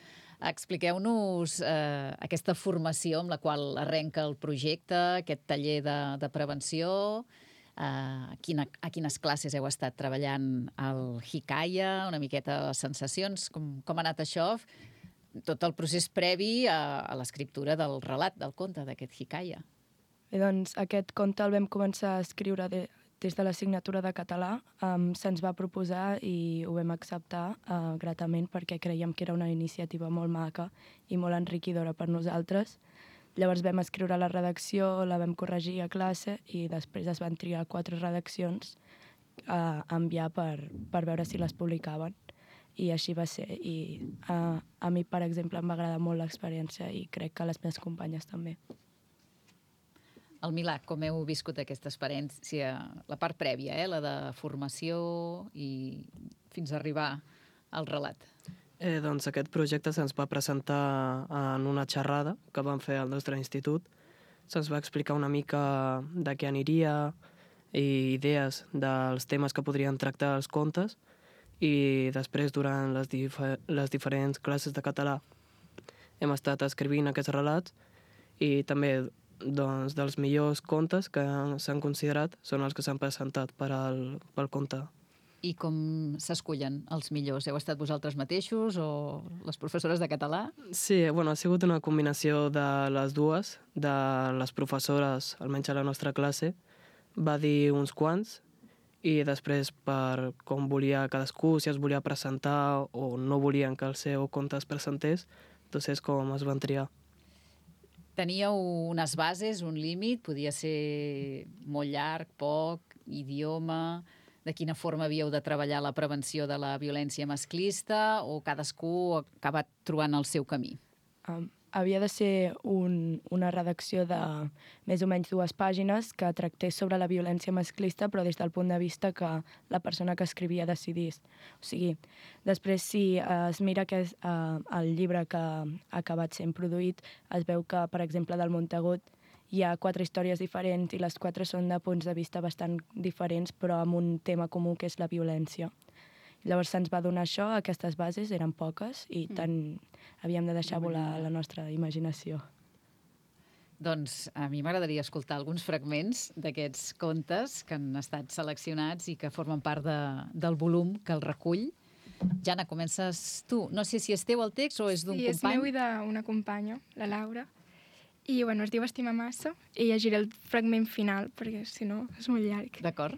Expliqueu-nos eh, aquesta formació amb la qual arrenca el projecte, aquest taller de, de prevenció, eh, a, quina, a quines classes heu estat treballant el Hikaya, una miqueta de sensacions, com, com ha anat això, tot el procés previ a, a l'escriptura del relat, del conte, d'aquest Hikaya. Bé, doncs, aquest conte el vam començar a escriure de, des de l'assignatura de català. Um, se'ns va proposar i ho vam acceptar uh, gratament perquè creiem que era una iniciativa molt maca i molt enriquidora per nosaltres. Llavors vam escriure la redacció, la vam corregir a classe i després es van triar quatre redaccions a enviar per, per veure si les publicaven. I així va ser. I uh, a mi, per exemple, em va agradar molt l'experiència i crec que a les meves companyes també. El Milà, com heu viscut aquesta experiència, la part prèvia, eh? La de formació i fins a arribar al relat? Eh, doncs aquest projecte se'ns va presentar en una xerrada que vam fer al nostre institut. Se'ns va explicar una mica de què aniria i idees dels temes que podrien tractar els contes i després, durant les, difer les diferents classes de català, hem estat escrivint aquests relats i també doncs, dels millors contes que s'han considerat són els que s'han presentat per al, pel conte. I com s'escullen els millors? Heu estat vosaltres mateixos o les professores de català? Sí, bueno, ha sigut una combinació de les dues, de les professores, almenys a la nostra classe, va dir uns quants, i després per com volia cadascú, si es volia presentar o no volien que el seu conte es presentés, doncs és com es van triar. Teníeu unes bases, un límit, podia ser molt llarg, poc, idioma, de quina forma havíeu de treballar la prevenció de la violència masclista o cadascú ha acabat trobant el seu camí? Um, havia de ser un, una redacció de més o menys dues pàgines que tractés sobre la violència masclista, però des del punt de vista que la persona que escrivia decidís. O sigui, després, si es mira que és, uh, el llibre que ha acabat sent produït, es veu que, per exemple, del Montagut hi ha quatre històries diferents i les quatre són de punts de vista bastant diferents, però amb un tema comú que és la violència. Llavors se'ns va donar això, aquestes bases eren poques i tant havíem de deixar volar la nostra imaginació. Doncs a mi m'agradaria escoltar alguns fragments d'aquests contes que han estat seleccionats i que formen part de, del volum que el recull. Jana, comences tu. No sé si és teu el text o és d'un sí, company. Sí, és meu i d'una companya, la Laura. I bueno, es diu Estima massa i llegiré el fragment final perquè si no és molt llarg. D'acord.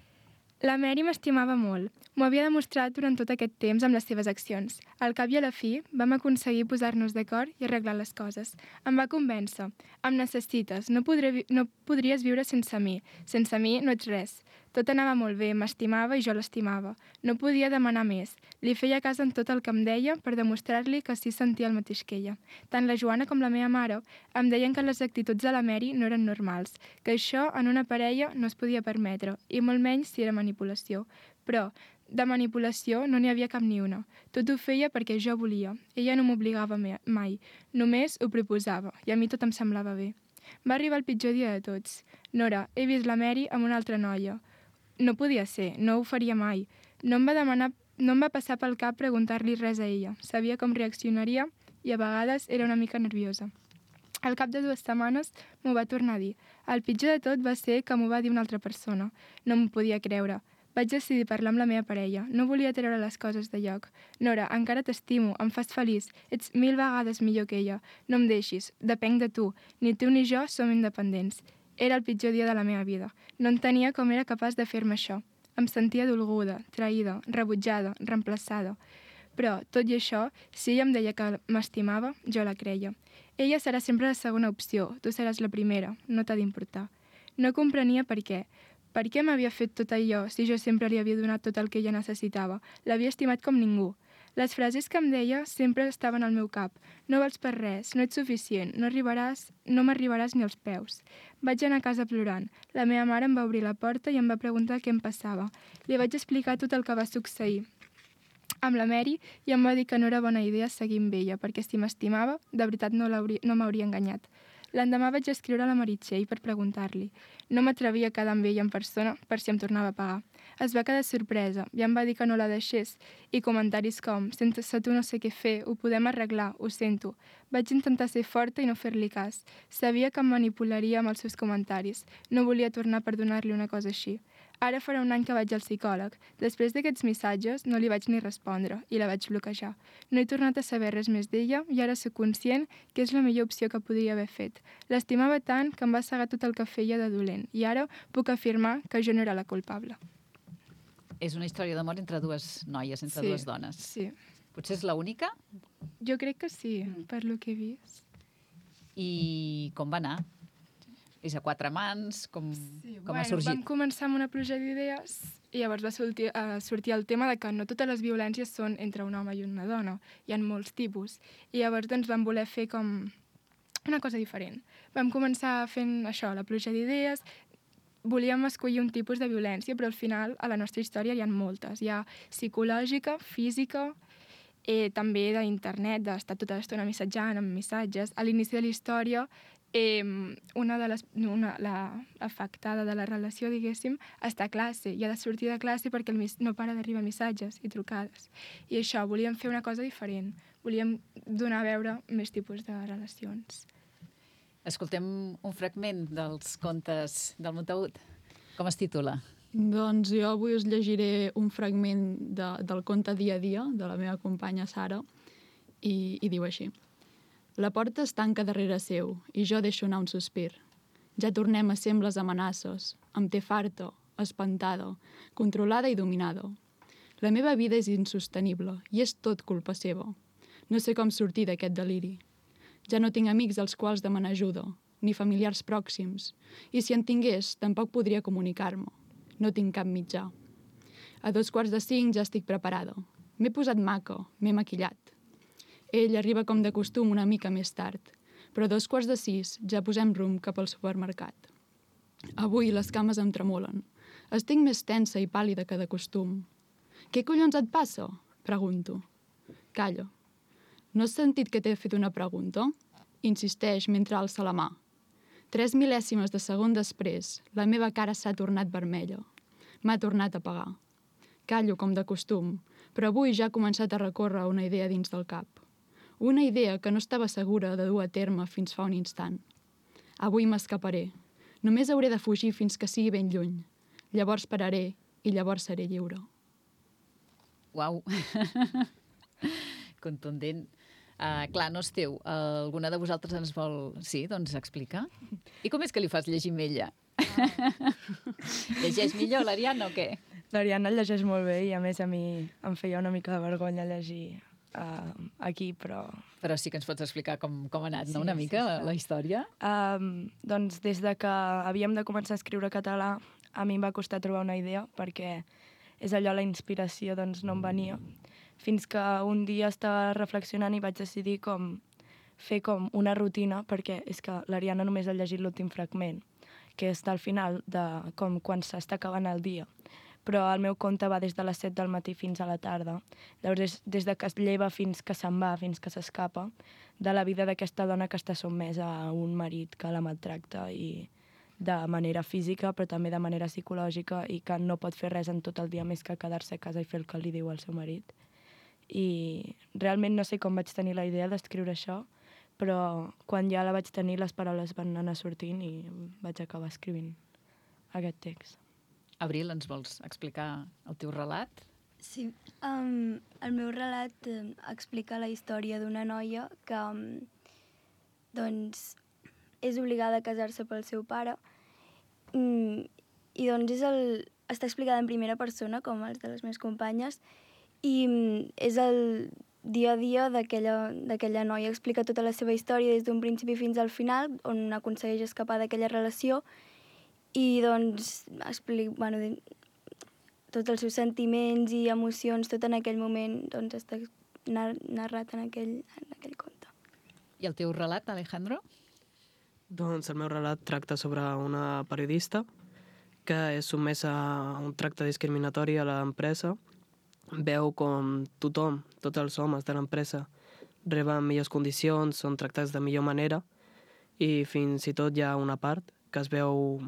La Mary m'estimava molt. M'ho havia demostrat durant tot aquest temps amb les seves accions. Al cap i a la fi, vam aconseguir posar-nos d'acord i arreglar les coses. Em va convèncer. Em necessites. No, podré, no podries viure sense mi. Sense mi no ets res. Tot anava molt bé, m'estimava i jo l'estimava. No podia demanar més. Li feia cas en tot el que em deia per demostrar-li que sí sentia el mateix que ella. Tant la Joana com la meva mare em deien que les actituds de la Mary no eren normals, que això en una parella no es podia permetre, i molt menys si era manipulació. Però de manipulació no n'hi havia cap ni una. Tot ho feia perquè jo volia. Ella no m'obligava mai. Només ho proposava, i a mi tot em semblava bé. Va arribar el pitjor dia de tots. Nora, he vist la Mary amb una altra noia. No podia ser, no ho faria mai. No em va demanar, no em va passar pel cap preguntar-li res a ella. Sabia com reaccionaria i a vegades era una mica nerviosa. Al cap de dues setmanes m'ho va tornar a dir. El pitjor de tot va ser que m'ho va dir una altra persona. No m'ho podia creure. Vaig decidir parlar amb la meva parella. No volia treure les coses de lloc. Nora, encara t'estimo, em fas feliç. Ets mil vegades millor que ella. No em deixis, depenc de tu. Ni tu ni jo som independents. Era el pitjor dia de la meva vida. No entenia com era capaç de fer-me això. Em sentia dolguda, traïda, rebutjada, reemplaçada. Però, tot i això, si ella em deia que m'estimava, jo la creia. Ella serà sempre la segona opció, tu seràs la primera, no t'ha d'importar. No comprenia per què. Per què m'havia fet tot allò si jo sempre li havia donat tot el que ella necessitava? L'havia estimat com ningú. Les frases que em deia sempre estaven al meu cap. No vals per res, no ets suficient, no arribaràs, no m'arribaràs ni als peus. Vaig anar a casa plorant. La meva mare em va obrir la porta i em va preguntar què em passava. Li vaig explicar tot el que va succeir amb la Mary i em va dir que no era bona idea seguir amb ella, perquè si m'estimava, de veritat no, no m'hauria enganyat. L'endemà vaig escriure a la Meritxell per preguntar-li. No m'atrevia a quedar amb ella en persona per si em tornava a pagar. Es va quedar sorpresa i em va dir que no la deixés i comentaris com «Sense tu no sé què fer, ho podem arreglar, ho sento». Vaig intentar ser forta i no fer-li cas. Sabia que em manipularia amb els seus comentaris. No volia tornar a perdonar-li una cosa així. Ara farà un any que vaig al psicòleg. Després d'aquests missatges no li vaig ni respondre i la vaig bloquejar. No he tornat a saber res més d'ella i ara soc conscient que és la millor opció que podria haver fet. L'estimava tant que em va cegar tot el que feia de dolent i ara puc afirmar que jo no era la culpable. És una història d'amor entre dues noies, entre Sí, dues dones. sí. Potser és l'única? Jo crec que sí, per lo que he vist. I com va anar? És a quatre mans? Com, Sí, com bueno, ha sorgit? Vam començar amb una pluja d'idees i llavors va sortir, uh, sortir el tema de que no totes les violències són entre un home i una dona. Hi ha molts tipus. I llavors doncs, vam voler fer com una cosa diferent. Vam començar fent això, la pluja d'idees. Volíem escollir un tipus de violència, però al final a la nostra història hi ha moltes. Hi ha psicològica, física, eh, també d'internet, d'estar tota l'estona missatjant amb missatges. A l'inici de la història, eh, una de les, una, la afectada de la relació, diguéssim, està a classe i ha de sortir de classe perquè el mis, no para d'arribar missatges i trucades. I això, volíem fer una cosa diferent. Volíem donar a veure més tipus de relacions. Escoltem un fragment dels contes del Montagut. Com es titula? Doncs jo avui us llegiré un fragment de, del conte Dia a dia, de la meva companya Sara, i, i diu així. La porta es tanca darrere seu i jo deixo anar un sospir. Ja tornem a ser amb les amenaces. Em té farta, espantada, controlada i dominada. La meva vida és insostenible i és tot culpa seva. No sé com sortir d'aquest deliri. Ja no tinc amics als quals demanar ajuda, ni familiars pròxims, i si en tingués tampoc podria comunicar-me. No tinc cap mitjà. A dos quarts de cinc ja estic preparada. M'he posat maca, m'he maquillat. Ell arriba com de costum una mica més tard, però a dos quarts de sis ja posem rumb cap al supermercat. Avui les cames em tremolen. Estic més tensa i pàl·lida que de costum. Què collons et passa? Pregunto. Calla. No has sentit que t'he fet una pregunta? Insisteix mentre alça la mà. Tres mil·lèsimes de segon després, la meva cara s'ha tornat vermella. M'ha tornat a pagar. Callo com de costum, però avui ja ha començat a recórrer una idea dins del cap. Una idea que no estava segura de dur a terme fins fa un instant. Avui m'escaparé. Només hauré de fugir fins que sigui ben lluny. Llavors pararé i llavors seré lliure. Uau! Contundent. Uh, clar, no és teu. Uh, alguna de vosaltres ens vol... Sí, doncs explica. I com és que li fas llegir amb ella? Ah. Llegeix millor l'Ariadna o què? L'Ariadna el llegeix molt bé i a més a mi em feia una mica de vergonya llegir uh, aquí, però... Però sí que ens pots explicar com, com ha anat, Sí, no? Una sí, mica sí. la, la història. Um, doncs des de que havíem de començar a escriure català, a mi em va costar trobar una idea, perquè és allò, la inspiració doncs, no em venia. Fins que un dia estava reflexionant i vaig decidir com fer com una rutina, perquè és que l'Ariadna només ha llegit l'últim fragment, que està al final, de com quan s'està acabant el dia. Però el meu conte va des de les set del matí fins a la tarda. Llavors, des de que es lleva fins que se'n va, fins que s'escapa, de la vida d'aquesta dona que està sotmesa a un marit que la maltracta i de manera física, però també de manera psicològica, i que no pot fer res en tot el dia més que quedar-se a casa i fer el que li diu al seu marit. I realment no sé com vaig tenir la idea d'escriure això, però quan ja la vaig tenir les paraules van anar sortint i vaig acabar escrivint aquest text. Abril, ens vols explicar el teu relat? Sí, um, el meu relat um, explica la història d'una noia que um, doncs, és obligada a casar-se pel seu pare um, i doncs és el, està explicada en primera persona, com els de les meves companyes, i um, és el dia a dia d'aquella noia. Explica tota la seva història des d'un principi fins al final, on aconsegueix escapar d'aquella relació i doncs explica, bueno, tots els seus sentiments i emocions, tot en aquell moment doncs, està nar narrat en aquell, en aquell conte. I el teu relat, Alejandro? Doncs el meu relat tracta sobre una periodista que és sotmesa a un tracte discriminatori a l'empresa. Veu com tothom, tots els homes de l'empresa, reben millors condicions, són tractats de millor manera i fins i tot hi ha una part que es veu,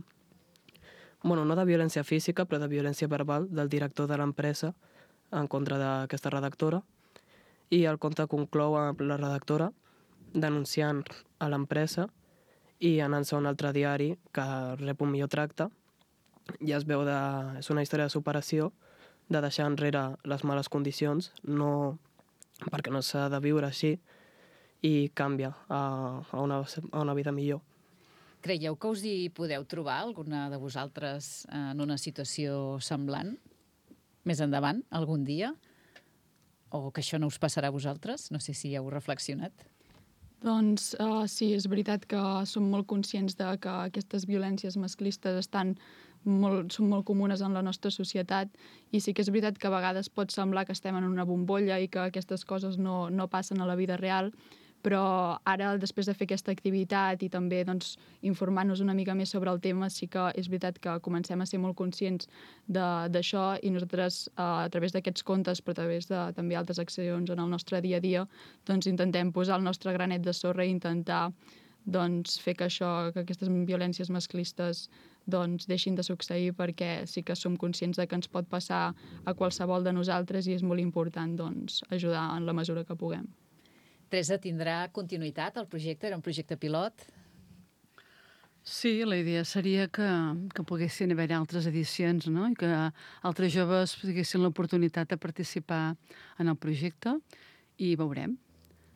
bueno, no de violència física, però de violència verbal del director de l'empresa en contra d'aquesta redactora. I el conte conclou amb la redactora denunciant a l'empresa i anant-se a un altre diari que rep un millor tracte. I es veu de... és una història de superació, de deixar enrere les males condicions, no perquè no s'ha de viure així, i canvia a, a, una, a una vida millor. Creieu que us hi podeu trobar, alguna de vosaltres, en una situació semblant? Més endavant, algun dia? O que això no us passarà a vosaltres? No sé si heu reflexionat. Doncs uh, sí, és veritat que som molt conscients de que aquestes violències masclistes estan molt, són molt comunes en la nostra societat i sí que és veritat que a vegades pot semblar que estem en una bombolla i que aquestes coses no, no passen a la vida real, però ara, després de fer aquesta activitat i també doncs, informar-nos una mica més sobre el tema, sí que és veritat que comencem a ser molt conscients d'això i nosaltres, eh, a través d'aquests contes, però a través de també altres accions en el nostre dia a dia, doncs intentem posar el nostre granet de sorra i intentar doncs, fer que això, que aquestes violències masclistes doncs, deixin de succeir, perquè sí que som conscients de que ens pot passar a qualsevol de nosaltres i és molt important doncs, ajudar en la mesura que puguem. Teresa, tindrà continuïtat el projecte? Era un projecte pilot? Sí, la idea seria que, que poguessin haver altres edicions, no? I que altres joves tinguessin l'oportunitat de participar en el projecte i veurem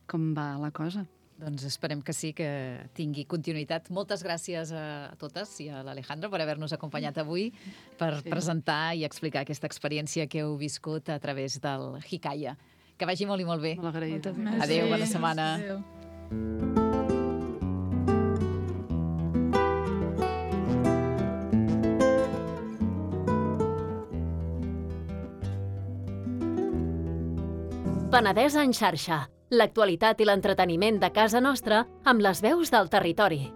com va la cosa. Doncs esperem que sí, que tingui continuïtat. Moltes gràcies a totes i a l'Alejandro per haver-nos acompanyat avui, per sí. presentar i explicar aquesta experiència que heu viscut a través del Hikaya. Que vagi molt i molt bé. Molt agraïda. Adéu, bona setmana. Adéu. Penedès en xarxa. L'actualitat i l'entreteniment de casa nostra amb les veus del territori.